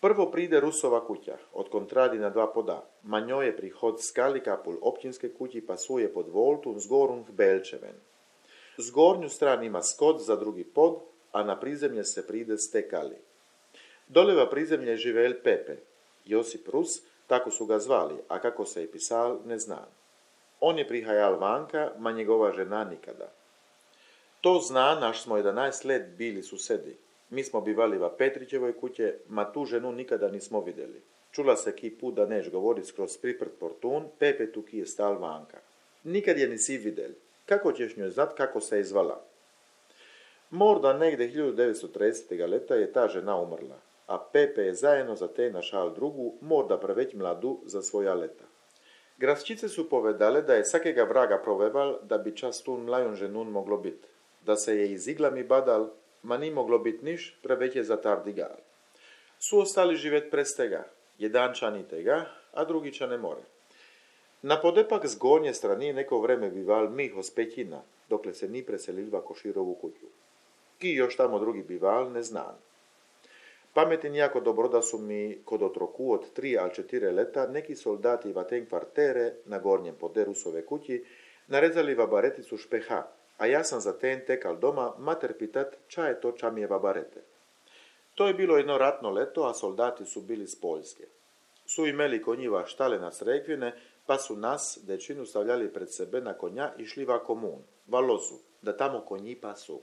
Prvo pride Rusova kuća, od kontradi na dva poda. Ma njoj je prihod skali kapul općinske kući pa suje pod voltun zgorun k Belčeven. Zgornju stran ima skod za drugi pod, a na prizemlje se pride stekali. Doleva prizemlje živel Pepe, Josip Rus, tako su ga zvali, a kako se je pisal, ne znam. On je prihajal vanka, ma njegova žena nikada. To zna, naš smo 11 let bili susedi. Mi smo bivali va Petrićevoj kuće, ma tu ženu nikada nismo vidjeli. Čula se ki put da neš govorit skroz priprt portun, Pepe tu ki je stal vanka. Nikad je nisi vidjeli. Kako ćeš njoj znat kako se je zvala? Morda negde 1930. leta je ta žena umrla, a Pepe je zajedno za te našal drugu, morda preveć mladu za svoja leta. Grasčice su povedale da je svakega vraga proveval, da bi čas tu mlajon ženun moglo bit. Da se je iz iglami badal, ma ni moglo bit niš, preveć je zatardigal. Su ostali živet prez tega, jedan čani tega, a drugi čane more. Na podepak z gornje strani neko vreme bival Miho z Pećina, dokle se ni preselilva Koširovu kuću. Ki još tamo drugi bival, ne znam. Pametim jako dobro da su mi kod otroku od 3 ali 4 leta neki soldati va ten kvartere na gornjem pode Rusove kući narezali vabareticu špeha, a ja sam za ten tekal doma mater pitat ča je to ča mi je vabarete. To je bilo jedno ratno leto, a soldati su bili z Poljske. Su imeli konjiva štale na Srekvine, pa su nas, dečinu, stavljali pred sebe na konja i šli va komun, va lozu, da tamo konji pasu.